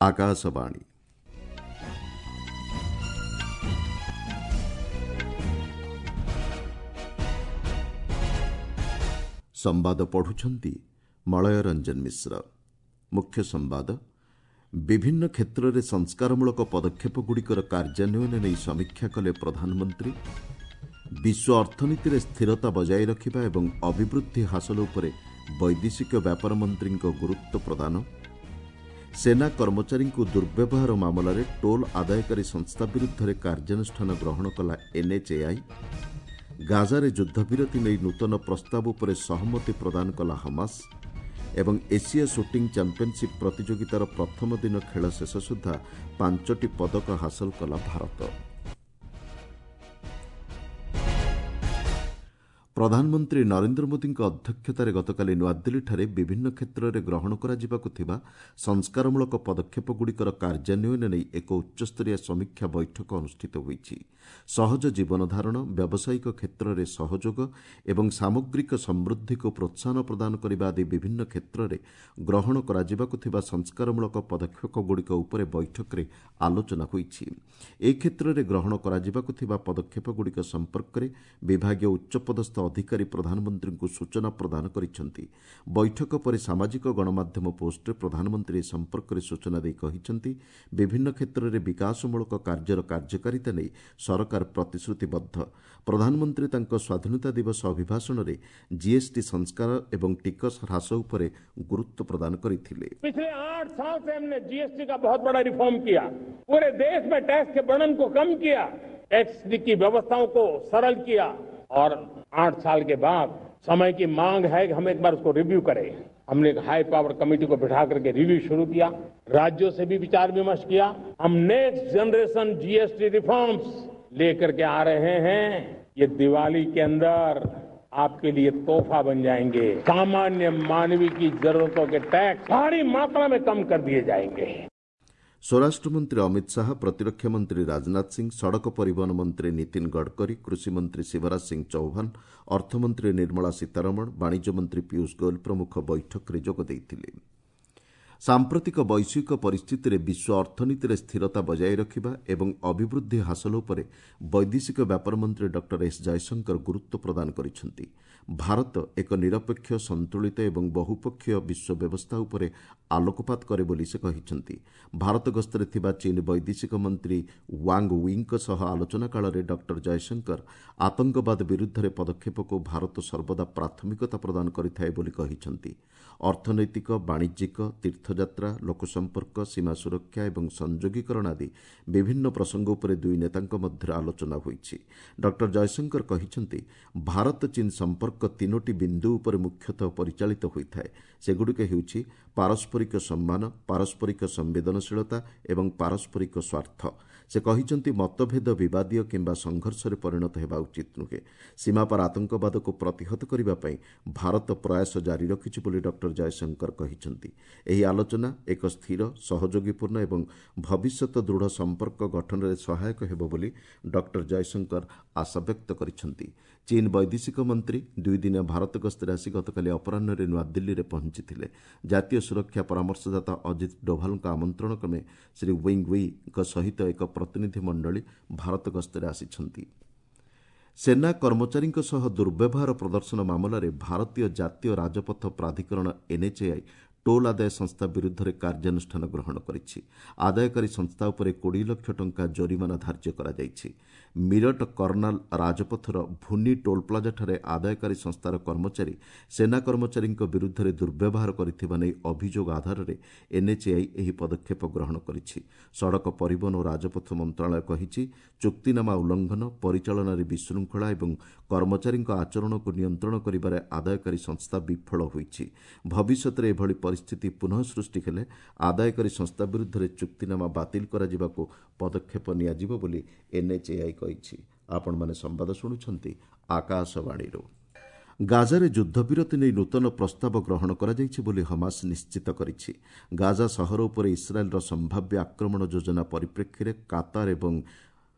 ଆକାଶବାଣୀ। ସମ୍ବାଦ ପଢୁଛନ୍ତି ମଳୟ ରଞ୍ଜନ ମିଶ୍ର। ମୁଖ୍ୟ ସମ୍ବାଦ। ବିଭିନ୍ନ କ୍ଷେତ୍ରରେ ସଂସ୍କାରମୂଳକ ପଦକ୍ଷେପଗୁଡ଼ିକର କାର୍ଯ୍ୟାନ୍ୱୟନ ନେଇ ସମୀକ୍ଷା କଲେ ପ୍ରଧାନମନ୍ତ୍ରୀ। ବିଶ୍ୱ ଅର୍ଥନୀତିରେ ସ୍ଥିରତା ବଜାୟ ରଖିବା ଏବଂ ଅଭିବୃଦ୍ଧି ହାସଲ ଉପରେ ବୈଦେଶିକ ବ୍ୟାପାର ମନ୍ତ୍ରୀଙ୍କ ଗୁରୁତ୍ୱ ପ୍ରଦାନ। ସେନା କର୍ମଚାରୀଙ୍କୁ ଦୁର୍ବ୍ୟବହାର ମାମଲାରେ ଟୋଲ୍ ଆଦାୟକାରୀ ସଂସ୍ଥା ବିରୁଦ୍ଧରେ କାର୍ଯ୍ୟାନୁଷ୍ଠାନ ଗ୍ରହଣ କଲା ଏନ୍ଏଚ୍ଏଆଇ। ଗାଜାରେ ଯୁଦ୍ଧବିରତି ନେଇ ନୂତନ ପ୍ରସ୍ତାବ ଉପରେ ସହମତି ପ୍ରଦାନ କଲା ହମାସ। ଏବଂ ଏସିଆ ସୁଟିଂ ଚାମ୍ପିୟନସିପ୍ ପ୍ରତିଯୋଗିତାର ପ୍ରଥମ ଦିନ ଖେଳ ଶେଷ ସୁଦ୍ଧା 5ଟି ପଦକ ହାସଲ କଲା ଭାରତ। ପ୍ରଧାନମନ୍ତ୍ରୀ ନରେନ୍ଦ୍ର ମୋଦିଙ୍କ ଅଧ୍ୟକ୍ଷତାରେ ଗତକାଲି ନୂଆଦିଲ୍ଲୀଠାରେ ବିଭିନ୍ନ କ୍ଷେତ୍ରରେ ଗ୍ରହଣ କରାଯିବାକୁ ଥିବା ସଂସ୍କାରମୂଳକ ପଦକ୍ଷେପଗୁଡ଼ିକର କାର୍ଯ୍ୟାନ୍ୱୟନ ନେଇ ଏକ ଉଚ୍ଚସ୍ତରୀୟ ସମୀକ୍ଷା ବୈଠକ ଅନୁଷ୍ଠିତ ହୋଇଛି। ସହଜ ଜୀବନଧାରଣ, ବ୍ୟାବସାୟିକ କ୍ଷେତ୍ରରେ ସହଯୋଗ ଏବଂ ସାମଗ୍ରିକ ସମୃଦ୍ଧିକୁ ପ୍ରୋତ୍ସାହନ ପ୍ରଦାନ କରିବା ଆଦି ବିଭିନ୍ନ କ୍ଷେତ୍ରରେ ଗ୍ରହଣ କରାଯିବାକୁ ଥିବା ସଂସ୍କାରମୂଳକ ପଦକ୍ଷେପଗୁଡ଼ିକ ଉପରେ ବୈଠକରେ ଆଲୋଚନା ହୋଇଛି। ଏ କ୍ଷେତ୍ରରେ ଗ୍ରହଣ କରାଯିବାକୁ ଥିବା ପଦକ୍ଷେପଗୁଡ଼ିକ ସମ୍ପର୍କରେ ବିଭାଗୀୟ ଉଚ୍ଚପଦସ୍ଥ ଅଧିକାରୀ ପ୍ରଧାନମନ୍ତ୍ରୀଙ୍କୁ ସୂଚନା ପ୍ରଦାନ କରିଛନ୍ତି। ବୈଠକ ପରେ ସାମାଜିକ ଗଣମାଧ୍ୟମ ପୋଷ୍ଟରେ ପ୍ରଧାନମନ୍ତ୍ରୀ ଏ ସମ୍ପର୍କରେ ସୂଚନା ଦେଇ କହିଛନ୍ତି, ବିଭିନ୍ନ କ୍ଷେତ୍ରରେ ବିକାଶମୂଳକ କାର୍ଯ୍ୟର କାର୍ଯ୍ୟକାରିତା ନେଇ ସରକାର ପ୍ରତିଶ୍ରୁତିବଦ୍ଧ। ପ୍ରଧାନମନ୍ତ୍ରୀ ତାଙ୍କ ସ୍ୱାଧୀନତା ଦିବସ ଅଭିଭାଷଣରେ ଜିଏସ୍ଟି ସଂସ୍କାର ଏବଂ ଟିକସ ହ୍ରାସ ଉପରେ ଗୁରୁତ୍ୱ ପ୍ରଦାନ କରିଥିଲେ। पिछले 8 साल से हमने जीएसटी का बहुत बड़ा रिफॉर्म किया, पूरे देश में टैक्स के बर्डन को कम किया, टैक्स की व्यवस्थाओं को सरल किया और 8 साल के बाद समय की मांग है कि हम एक बार उसको रिव्यू करें। हमने एक हाई पावर कमेटी को बिठा करके रिव्यू शुरू किया, राज्यों से भी विचार विमर्श किया। हम नेक्स्ट जनरेशन जीएसटी रिफॉर्म्स लेकर के आ रहे हैं। ये दिवाली के अंदर आपके लिए तोहफा बन जाएंगे। सामान्य मानवी की जरूरतों के टैक्स भारी मात्रा में कम कर दिए जाएंगे। ସ୍ୱରାଷ୍ଟ୍ରମନ୍ତ୍ରୀ ଅମିତ ଶାହା, ପ୍ରତିରକ୍ଷା ମନ୍ତ୍ରୀ ରାଜନାଥ ସିଂ, ସଡ଼କ ପରିବହନ ମନ୍ତ୍ରୀ ନୀତିନ ଗଡ଼କରୀ, କୃଷିମନ୍ତ୍ରୀ ଶିବରାଜ ସିଂ ଚୌହାନ, ଅର୍ଥମନ୍ତ୍ରୀ ନିର୍ମଳା ସୀତାରମଣ, ବାଣିଜ୍ୟ ମନ୍ତ୍ରୀ ପୀୟୁଷ ଗୋଏଲ ପ୍ରମୁଖ ବୈଠକରେ ଯୋଗ ଦେଇଥିଲେ। ସାମ୍ପ୍ରତିକ ବୈଶ୍ୱିକ ପରିସ୍ଥିତିରେ ବିଶ୍ୱ ଅର୍ଥନୀତିରେ ସ୍ଥିରତା ବଜାୟ ରଖିବା ଏବଂ ଅଭିବୃଦ୍ଧି ହାସଲ ଉପରେ ବୈଦେଶିକ ବ୍ୟାପାର ମନ୍ତ୍ରୀ ଡକ୍ଟର ଏସ୍ ଜୟଶଙ୍କର ଗୁରୁତ୍ୱ ପ୍ରଦାନ କରିଛନ୍ତି। ଭାରତ ଏକ ନିରପେକ୍ଷ, ସନ୍ତୁଳିତ ଏବଂ ବହୁପକ୍ଷୀୟ ବିଶ୍ୱ ବ୍ୟବସ୍ଥା ଉପରେ ଆଲୋକପାତ କରେ ବୋଲି ସେ କହିଛନ୍ତି। ଭାରତ ଗସ୍ତରେ ଥିବା ଚୀନ ବୈଦେଶିକ ମନ୍ତ୍ରୀ ୱାଙ୍ଗ ୱିଙ୍କ ସହ ଆଲୋଚନା କାଳରେ ଡକ୍ଟର ଜୟଶଙ୍କର ଆତଙ୍କବାଦ ବିରୁଦ୍ଧରେ ପଦକ୍ଷେପକୁ ଭାରତ ସର୍ବଦା ପ୍ରାଥମିକତା ପ୍ରଦାନ କରିଥାଏ ବୋଲି କହିଛନ୍ତି। ଅର୍ଥନୈତିକ, ବାଣିଜ୍ୟିକ, ତୀର୍ଥଯାତ୍ରା, ଲୋକସମ୍ପର୍କ, ସୀମା ସୁରକ୍ଷା ଏବଂ ସଂଯୋଗୀକରଣ ଆଦି ବିଭିନ୍ନ ପ୍ରସଙ୍ଗ ଉପରେ ଦୁଇ ନେତାଙ୍କ ମଧ୍ୟରେ ଆଲୋଚନା ହୋଇଛି। ଡକ୍ଟର ଜୟଶଙ୍କର କହିଛନ୍ତି, ଭାରତ ଚୀନ ସମ୍ପର୍କ 3ଟି ବିନ୍ଦୁ ଉପରେ ମୁଖ୍ୟତଃ ପରିଚାଳିତ ହୋଇଥାଏ। ସେଗୁଡ଼ିକ ହେଉଛି ପାରସ୍ପରିକ ସମ୍ମାନ, ପାରସ୍ପରିକ ସମ୍ବେଦନଶୀଳତା ଏବଂ ପାରସ୍ପରିକ ସ୍ୱାର୍ଥ। ସେ କହିଛନ୍ତି, ମତଭେଦ ବିବାଦୀୟ କିମ୍ବା ସଂଘର୍ଷରେ ପରିଣତ ହେବା ଉଚିତ ନୁହେଁ। ସୀମାପାର ଆତଙ୍କବାଦକୁ ପ୍ରତିହତ କରିବା ପାଇଁ ଭାରତ ପ୍ରୟାସ ଜାରି ରଖିଛି ବୋଲି ଡକ୍ଟର ଜୟଶଙ୍କର କହିଛନ୍ତି। ଏହି ଆଲୋଚନା ଏକ ସ୍ଥିର, ସହଯୋଗୀପୂର୍ଣ୍ଣ ଏବଂ ଭବିଷ୍ୟତ ଦୃଢ଼ ସମ୍ପର୍କ ଗଠନରେ ସହାୟକ ହେବ ବୋଲି ଡକ୍ଟର ଜୟଶଙ୍କର ଆଶାବ୍ୟକ୍ତ କରିଛନ୍ତି। ଚୀନ ବୈଦେଶିକ ମନ୍ତ୍ରୀ ଦୁଇଦିନିଆ ଭାରତ ଗସ୍ତରେ ଆସି ଗତକାଲି ଅପରାହ୍ନରେ ନୂଆଦିଲ୍ଲୀରେ ପହଞ୍ଚିଥିଲେ। ଜାତୀୟ ସୁରକ୍ଷା ପରାମର୍ଶଦାତା ଅଜିତ ଡୋଭାଲଙ୍କ ଆମନ୍ତ୍ରଣ କ୍ରମେ ଶ୍ରୀ ୱିଙ୍ଗ ୱିଙ୍କ ସହିତ ଏକ ପ୍ରତିନିଧି ମଣ୍ଡଳୀ ଭାରତ ଗସ୍ତରେ ଆସିଛନ୍ତି। ସେନା କର୍ମଚାରୀଙ୍କ ସହ ଦୁର୍ବ୍ୟବହାର ପ୍ରଦର୍ଶନ ମାମଲାରେ ଭାରତୀୟ ଜାତୀୟ ରାଜପଥ ପ୍ରାଧିକରଣ ଏନ୍ଏଚ୍ଏଆଇ ଟୋଲ୍ ଆଦାୟ ସଂସ୍ଥା ବିରୁଦ୍ଧରେ କାର୍ଯ୍ୟାନୁଷ୍ଠାନ ଗ୍ରହଣ କରିଛି। ଆଦାୟକାରୀ ସଂସ୍ଥା ଉପରେ 20 ଲକ୍ଷ ଟଙ୍କା ଜୋରିମାନା ଧାର୍ଯ୍ୟ କରାଯାଇଛି। ମିରଟ କର୍ଣ୍ଣାଲ ରାଜପଥର ଭୁନି ଟୋଲ୍ ପ୍ଲାଜାଠାରେ ଆଦାୟକାରୀ ସଂସ୍ଥାର କର୍ମଚାରୀ ସେନା କର୍ମଚାରୀଙ୍କ ବିରୁଦ୍ଧରେ ଦୁର୍ବ୍ୟବହାର କରିଥିବା ନେଇ ଅଭିଯୋଗ ଆଧାରରେ ଏନ୍ଏଚ୍ଏଆଇ ଏହି ପଦକ୍ଷେପ ଗ୍ରହଣ କରିଛି। ସଡ଼କ ପରିବହନ ଓ ରାଜପଥ ମନ୍ତ୍ରଣାଳୟ କହିଛି, ଚୁକ୍ତିନାମା ଉଲ୍ଲଂଘନ, ପରିଚାଳନାରେ ବିଶୃଙ୍ଖଳା ଏବଂ କର୍ମଚାରୀଙ୍କ ଆଚରଣକୁ ନିୟନ୍ତ୍ରଣ କରିବାରେ ଆଦାୟକାରୀ ସଂସ୍ଥା ବିଫଳ ହୋଇଛି। ଭବିଷ୍ୟତରେ ଏଭଳି ପରିସ୍ଥିତି ପୁନଃ ସୃଷ୍ଟି ହେଲେ ଆଦାୟକାରୀ ସଂସ୍ଥା ବିରୁଦ୍ଧରେ ଚୁକ୍ତିନାମା ବାତିଲ କରାଯିବାକୁ ପଦକ୍ଷେପ ନିଆଯିବ ବୋଲି ଏନ୍ଏଚ୍ଏଆଇ କହିଛି। ଆପଣମାନେ ସମ୍ବାଦ ଶୁଣୁଛନ୍ତି ଆକାଶବାଣୀରୁ। ଗାଜାରେ ଯୁଦ୍ଧବିରତି ନେଇ ନୂତନ ପ୍ରସ୍ତାବ ଗ୍ରହଣ କରାଯାଇଛି ବୋଲି ହମାସ ନିଶ୍ଚିତ କରିଛି। ଗାଜା ସହର ଉପରେ ଇସ୍ରାଏଲ୍ର ସମ୍ଭାବ୍ୟ ଆକ୍ରମଣ ଯୋଜନା ପରିପ୍ରେକ୍ଷୀରେ କାତାର ଏବଂ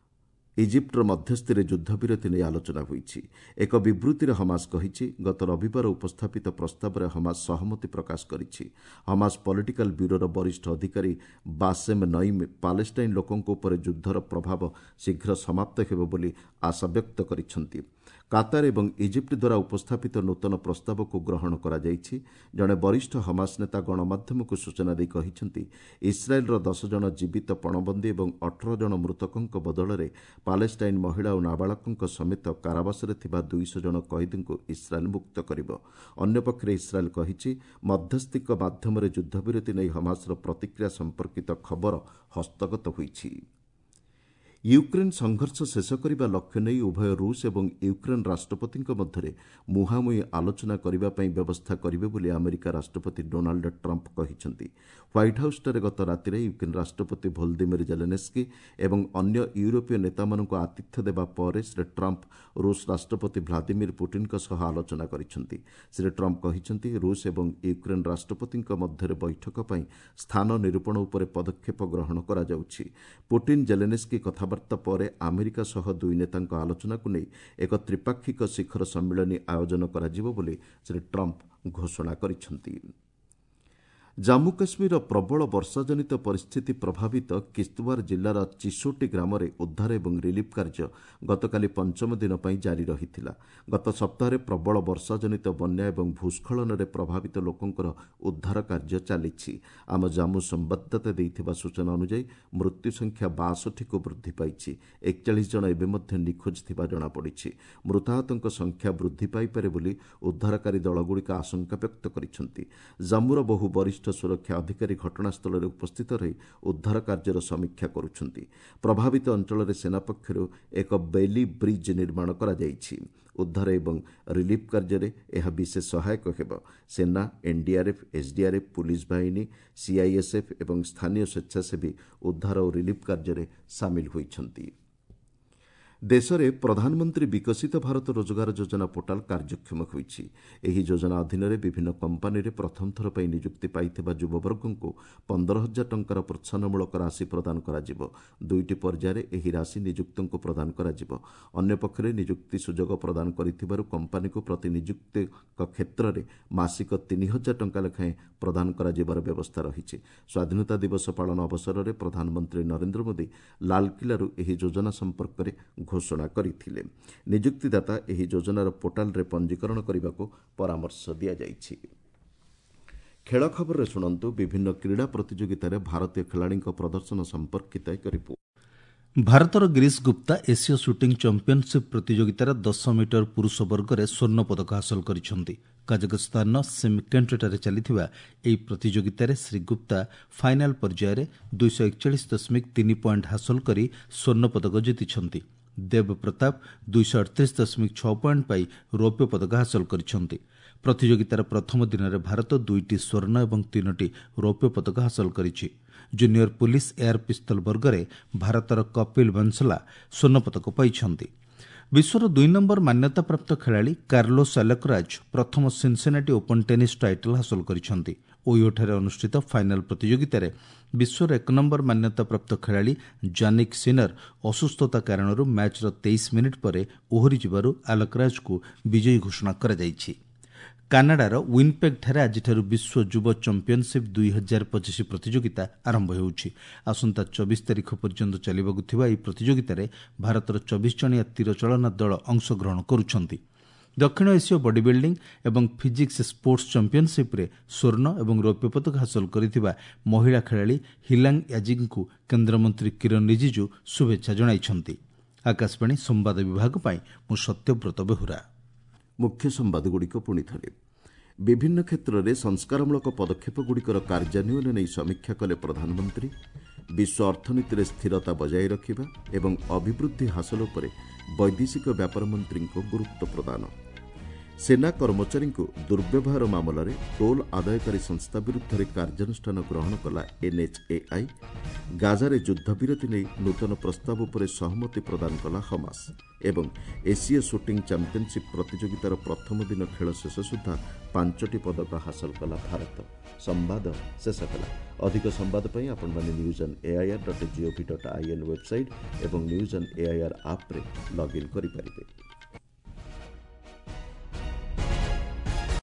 ଇଜିପ୍ଟର ମଧ୍ୟସ୍ଥିରେ ଯୁଦ୍ଧବିରତି ନେଇ ଆଲୋଚନା ହୋଇଛି। ଏକ ବିବୃତ୍ତିରେ ହମାସ କହିଛି, ଗତ ରବିବାର ଉପସ୍ଥାପିତ ପ୍ରସ୍ତାବରେ ହମାସ ସହମତି ପ୍ରକାଶ କରିଛି। ହମାସ ପଲିଟିକାଲ ବ୍ୟୁରୋର ବରିଷ୍ଠ ଅଧିକାରୀ ବାସେମ୍ ନଇମ୍ ପାଲେଷ୍ଟାଇନ୍ ଲୋକଙ୍କ ଉପରେ ଯୁଦ୍ଧର ପ୍ରଭାବ ଶୀଘ୍ର ସମାପ୍ତ ହେବ ବୋଲି ଆଶାବ୍ୟକ୍ତ କରିଛନ୍ତି। କାତାର ଏବଂ ଇଜିପ୍ଟ ଦ୍ୱାରା ଉପସ୍ଥାପିତ ନୂତନ ପ୍ରସ୍ତାବକୁ ଗ୍ରହଣ କରାଯାଇଛି। ଜଣେ ବରିଷ୍ଠ ହମାସ ନେତା ଗଣମାଧ୍ୟମକୁ ସୂଚନା ଦେଇ କହିଛନ୍ତି, ଇସ୍ରାଏଲ୍ର 10 ଜଣ ଜୀବିତ ପଣବନ୍ଦୀ ଏବଂ 18 ଜଣ ମୃତକଙ୍କ ବଦଳରେ ପାଲେଷ୍ଟାଇନ୍ ମହିଳା ଓ ନାବାଳକଙ୍କ ସମେତ କାରାବାସରେ ଥିବା 200 ଜଣ କଏଦୀଙ୍କୁ ଇସ୍ରାଏଲ୍ ମୁକ୍ତ କରିବ। ଅନ୍ୟପକ୍ଷରେ ଇସ୍ରାଏଲ୍ କହିଛି, ମଧ୍ୟସ୍ଥିଙ୍କ ମାଧ୍ୟମରେ ଯୁଦ୍ଧବିରତି ନେଇ ହମାସର ପ୍ରତିକ୍ରିୟା ସମ୍ପର୍କିତ ଖବର ହସ୍ତଗତ ହୋଇଛି। ୟୁକ୍ରେନ୍ ସଂଘର୍ଷ ଶେଷ କରିବା ଲକ୍ଷ୍ୟ ନେଇ ଉଭୟ ରୁଷ ଏବଂ ୟୁକ୍ରେନ୍ ରାଷ୍ଟ୍ରପତିଙ୍କ ମଧ୍ୟରେ ମୁହାଁମୁହିଁ ଆଲୋଚନା କରିବା ପାଇଁ ବ୍ୟବସ୍ଥା କରିବେ ବୋଲି ଆମେରିକା ରାଷ୍ଟ୍ରପତି ଡୋନାଲ୍ଡ ଟ୍ରମ୍ପ କହିଛନ୍ତି। ହ୍ୱାଇଟ୍ ହାଉସ୍ଠାରେ ଗତ ରାତିରେ ୟୁକ୍ରେନ୍ ରାଷ୍ଟ୍ରପତି ଭୋଲଦିମିର ଜେଲେନେସ୍କି ଏବଂ ଅନ୍ୟ ୟୁରୋପୀୟ ନେତାମାନଙ୍କୁ ଆତିଥ୍ୟ ଦେବା ପରେ ଶ୍ରୀ ଟ୍ରମ୍ପ ରୁଷ ରାଷ୍ଟ୍ରପତି ଭ୍ଲାଦିମିର ପୁଟିନ୍ଙ୍କ ସହ ଆଲୋଚନା କରିଛନ୍ତି। ଶ୍ରୀ ଟ୍ରମ୍ପ କହିଛନ୍ତି, ରୁଷ ଏବଂ ୟୁକ୍ରେନ୍ ରାଷ୍ଟ୍ରପତିଙ୍କ ମଧ୍ୟରେ ବୈଠକ ପାଇଁ ସ୍ଥାନ ନିରୂପଣ ଉପରେ ପଦକ୍ଷେପ ଗ୍ରହଣ କରାଯାଉଛି। ପୁଟିନ୍ ଜେଲେନେସ୍କି କଥାବାର୍ତ୍ତା ପରେ ଆମେରିକା ସହ ଦୁଇ ନେତାଙ୍କ ଆଲୋଚନାକୁ ନେଇ ଏକ ତ୍ରିପାକ୍ଷିକ ଶିଖର ସମ୍ମିଳନୀ ଆୟୋଜନ କରାଯିବ ବୋଲି ଶ୍ରୀ ଟ୍ରମ୍ପ ଘୋଷଣା କରିଛନ୍ତି। ଜାମ୍ମୁ କାଶ୍ମୀରର ପ୍ରବଳ ବର୍ଷାଜନିତ ପରିସ୍ଥିତି ପ୍ରଭାବିତ କିସ୍ତୱାର ଜିଲ୍ଲାର ଚିସୋଟି ଗ୍ରାମରେ ଉଦ୍ଧାର ଏବଂ ରିଲିଫ୍ କାର୍ଯ୍ୟ ଗତକାଲି ପଞ୍ଚମ ଦିନ ପାଇଁ ଜାରି ରହିଥିଲା। ଗତ ସପ୍ତାହରେ ପ୍ରବଳ ବର୍ଷାଜନିତ ବନ୍ୟା ଏବଂ ଭୂସ୍ଖଳନରେ ପ୍ରଭାବିତ ଲୋକଙ୍କର ଉଦ୍ଧାର କାର୍ଯ୍ୟ ଚାଲିଛି। ଆମ ଜାମ୍ମୁ ସମ୍ବାଦଦାତା ଦେଇଥିବା ସୂଚନା ଅନୁଯାୟୀ ମୃତ୍ୟୁ ସଂଖ୍ୟା 62କୁ ବୃଦ୍ଧି ପାଇଛି। 41 ଜଣ ଏବେ ମଧ୍ୟ ନିଖୋଜ ଥିବା ଜଣାପଡ଼ିଛି। ମୃତାହତଙ୍କ ସଂଖ୍ୟା ବୃଦ୍ଧି ପାଇପାରେ ବୋଲି ଉଦ୍ଧାରକାରୀ ଦଳଗୁଡ଼ିକ ଆଶଙ୍କା ବ୍ୟକ୍ତ କରିଛନ୍ତି। ଜାମ୍ମୁର ବହୁ ବରିଷ୍ଠ ସୁରକ୍ଷା ଅଧିକାରୀ ଘଟଣାସ୍ଥଳରେ ଉପସ୍ଥିତ ରହି ଉଦ୍ଧାର କାର୍ଯ୍ୟର ସମୀକ୍ଷା କରୁଛନ୍ତି। ପ୍ରଭାବିତ ଅଞ୍ଚଳରେ ସେନା ପକ୍ଷରୁ ଏକ ବେଲି ବ୍ରିଜ୍ ନିର୍ମାଣ କରାଯାଇଛି। ଉଦ୍ଧାର ଏବଂ ରିଲିଫ୍ କାର୍ଯ୍ୟରେ ଏହା ବିଶେଷ ସହାୟକ ହେବ। ସେନା, ଏନ୍ଡିଆର୍ଏଫ୍, ଏସ୍ଡିଆର୍ଏଫ୍, ପୁଲିସ୍ ବାହିନୀ, ସିଆଇଏସ୍ଏଫ୍ ଏବଂ ସ୍ଥାନୀୟ ସ୍ୱେଚ୍ଛାସେବୀ ଉଦ୍ଧାର ଓ ରିଲିଫ୍ କାର୍ଯ୍ୟରେ ସାମିଲ ହୋଇଛନ୍ତି। ଦେଶରେ ପ୍ରଧାନମନ୍ତ୍ରୀ ବିକଶିତ ଭାରତ ରୋଜଗାର ଯୋଜନା ପୋର୍ଟାଲ କାର୍ଯ୍ୟକ୍ଷମ ହୋଇଛି। ଏହି ଯୋଜନା ଅଧୀନରେ ବିଭିନ୍ନ କମ୍ପାନୀରେ ପ୍ରଥମ ଥର ପାଇଁ ନିଯୁକ୍ତି ପାଇଥିବା ଯୁବବର୍ଗଙ୍କୁ 15,000 ଟଙ୍କାର ପ୍ରୋତ୍ସାହନମୂଳକ ରାଶି ପ୍ରଦାନ କରାଯିବ। ଦୁଇଟି ପର୍ଯ୍ୟାୟରେ ଏହି ରାଶି ନିଯୁକ୍ତଙ୍କୁ ପ୍ରଦାନ କରାଯିବ। ଅନ୍ୟପକ୍ଷରେ ନିଯୁକ୍ତି ସୁଯୋଗ ପ୍ରଦାନ କରିଥିବାରୁ କମ୍ପାନୀକୁ ପ୍ରତି ନିଯୁକ୍ତିଙ୍କ କ୍ଷେତ୍ରରେ ମାସିକ 3,000 ଟଙ୍କା ଲେଖାଏଁ ପ୍ରଦାନ କରାଯିବାର ବ୍ୟବସ୍ଥା ରହିଛି। ସ୍ୱାଧୀନତା ଦିବସ ପାଳନ ଅବସରରେ ପ୍ରଧାନମନ୍ତ୍ରୀ ନରେନ୍ଦ୍ର ମୋଦି ଲାଲକିଲ୍ଲାରୁ ଏହି ଯୋଜନା ସମ୍ପର୍କରେ ଘୋଷଣା କରିଥିଲେ। ନିଯୁକ୍ତିଦାତା ଏହି ଯୋଜନାର ପୋର୍ଟାଲରେ ପଞ୍ଜୀକରଣ କରିବାକୁ ପରାମର୍ଶ ଦିଆଯାଇଛି। ଖେଳ ଖବରରେ ଶୁଣନ୍ତୁ ବିଭିନ୍ନ କ୍ରୀଡ଼ା ପ୍ରତିଯୋଗିତାରେ ଭାରତୀୟ ଖେଳାଳିଙ୍କ ପ୍ରଦର୍ଶନ ସମ୍ପର୍କିତ ଏକ ରିପୋର୍ଟ। ଭାରତର ଗିରିଶ ଗୁପ୍ତା ଏସୀୟ ସୁଟିଂ ଚାମ୍ପିୟନସିପ୍ ପ୍ରତିଯୋଗିତାର 10 ମିଟର ପୁରୁଷ ବର୍ଗରେ ସ୍ୱର୍ଣ୍ଣ ପଦକ ହାସଲ କରିଛନ୍ତି। କାଜାଖସ୍ତାନର ସିମକେଣ୍ଟଠାରେ ଚାଲିଥିବା ଏହି ପ୍ରତିଯୋଗିତାରେ ଶ୍ରୀ ଗୁପ୍ତା ଫାଇନାଲ ପର୍ଯ୍ୟାୟରେ 241.3 ପଏଣ୍ଟ ହାସଲ କରି ସ୍ୱର୍ଣ୍ଣ ପଦକ ଜିତିଛନ୍ତି। ଦେବ ପ୍ରତାପ 238.6 ପଏଣ୍ଟ ପାଇ ରୌପ୍ୟ ପଦକ ହାସଲ କରିଛନ୍ତି। ପ୍ରତିଯୋଗିତାର ପ୍ରଥମ ଦିନରେ ଭାରତ 2ଟି ସ୍ୱର୍ଣ୍ଣ ଏବଂ 3ଟି ରୌପ୍ୟ ପଦକ ହାସଲ କରିଛି। ଜୁନିୟର ପୁଲିସ୍ ଏୟାର ପିସ୍ତଲ ବର୍ଗରେ ଭାରତର କପିଲ ବଂଶଲା ସ୍ୱର୍ଣ୍ଣ ପଦକ ପାଇଛନ୍ତି। ବିଶ୍ୱର 2 ନମ୍ବର ମାନ୍ୟତାପ୍ରାପ୍ତ ଖେଳାଳି କାର୍ଲୋସ୍ ଆଲକରାଜ ପ୍ରଥମ ସିନ୍ସିନାଟି ଓପନ୍ ଟେନିସ୍ ଟାଇଟଲ୍ ହାସଲ କରିଛନ୍ତି। ଓହିଓଠାରେ ଅନୁଷ୍ଠିତ ଫାଇନାଲ ପ୍ରତିଯୋଗିତାରେ ବିଶ୍ୱର 1 ନମ୍ବର ମାନ୍ୟତାପ୍ରାପ୍ତ ଖେଳାଳି ଜାନିକ୍ ସିନର ଅସୁସ୍ଥତା କାରଣରୁ ମ୍ୟାଚ୍ର 23 ମିନିଟ୍ ପରେ ଓହରିଯିବାରୁ ଆଲକରାଜଙ୍କୁ ବିଜୟୀ ଘୋଷଣା କରାଯାଇଛି। କାନାଡାର ୱିନିପେଗ୍ଠାରେ ଆଜିଠାରୁ ବିଶ୍ୱ ଯୁବ ଚାମ୍ପିୟନସିପ୍ 2025 ପ୍ରତିଯୋଗିତା ଆରମ୍ଭ ହେଉଛି। ଆସନ୍ତା 24 ତାରିଖ ପର୍ଯ୍ୟନ୍ତ ଚାଲିବାକୁ ଥିବା ଏହି ପ୍ରତିଯୋଗିତାରେ ଭାରତର 24 ଜଣିଆ ତୀରଚାଳନା ଦଳ ଅଂଶଗ୍ରହଣ କରୁଛନ୍ତି। ଦକ୍ଷିଣ ଏସୀୟ ବଡି ବିଲ୍ଡିଂ ଏବଂ ଫିଜିକ୍ସ ସ୍ପୋର୍ଟସ ଚାମ୍ପିୟନସିପ୍ରେ ସ୍ୱର୍ଣ୍ଣ ଏବଂ ରୌପ୍ୟ ପଦକ ହାସଲ କରିଥିବା ମହିଳା ଖେଳାଳି ହିଲାଙ୍ଗ ୟାଜିଙ୍କୁ କେନ୍ଦ୍ରମନ୍ତ୍ରୀ କିରଣ ରିଜିଜୁ ଶୁଭେଚ୍ଛା ଜଣାଇଛନ୍ତି। ଆକାଶବାଣୀ ସମ୍ବାଦ ବିଭାଗ ପାଇଁ ମୁଁ ସତ୍ୟବ୍ରତ ବେହୁରା। ମୁଖ୍ୟ ସମ୍ବାଦଗୁଡ଼ିକ ପୁଣି ଥରେ। ବିଭିନ୍ନ କ୍ଷେତ୍ରରେ ସଂସ୍କାରମୂଳକ ପଦକ୍ଷେପଗୁଡ଼ିକର କାର୍ଯ୍ୟାନ୍ୱୟନ ନେଇ ସମୀକ୍ଷା କଲେ ପ୍ରଧାନମନ୍ତ୍ରୀ। ବିଶ୍ୱ ଅର୍ଥନୀତିରେ ସ୍ଥିରତା ବଜାୟ ରଖିବା ଏବଂ ଅଭିବୃଦ୍ଧି ହାସଲ ଉପରେ ବୈଦେଶିକ ବ୍ୟାପାର ମନ୍ତ୍ରୀଙ୍କ ଗୁରୁତ୍ୱ ପ୍ରଦାନ। ସେନା କର୍ମଚାରୀଙ୍କୁ ଦୁର୍ବ୍ୟବହାର ମାମଲାରେ ଟୋଲ୍ ଆଦାୟକାରୀ ସଂସ୍ଥା ବିରୁଦ୍ଧରେ କାର୍ଯ୍ୟାନୁଷ୍ଠାନ ଗ୍ରହଣ କଲା ଏନ୍ଏଚ୍ଏଆଇ। ଗାଜାରେ ଯୁଦ୍ଧବିରତି ନେଇ ନୂତନ ପ୍ରସ୍ତାବ ଉପରେ ସହମତି ପ୍ରଦାନ କଲା ହମାସ। ଏବଂ ଏସୀୟ ସୁଟିଂ ଚାମ୍ପିୟନସିପ୍ ପ୍ରତିଯୋଗିତାର ପ୍ରଥମ ଦିନ ଖେଳ ଶେଷ ସୁଦ୍ଧା 5ଟି ପଦକ ହାସଲ କଲା ଭାରତ। ସମ୍ବାଦ ଶେଷ ହେଲା। ଅଧିକ ସମ୍ବାଦ ପାଇଁ ଆପଣମାନେ news on AIR dot GOV dot IN website ଏବଂ ନ୍ୟୁଜ୍ ଅନ୍ ଏଆଇଆର୍ ଆପ୍ରେ ଲଗ୍ଇନ୍ କରିପାରିବେ।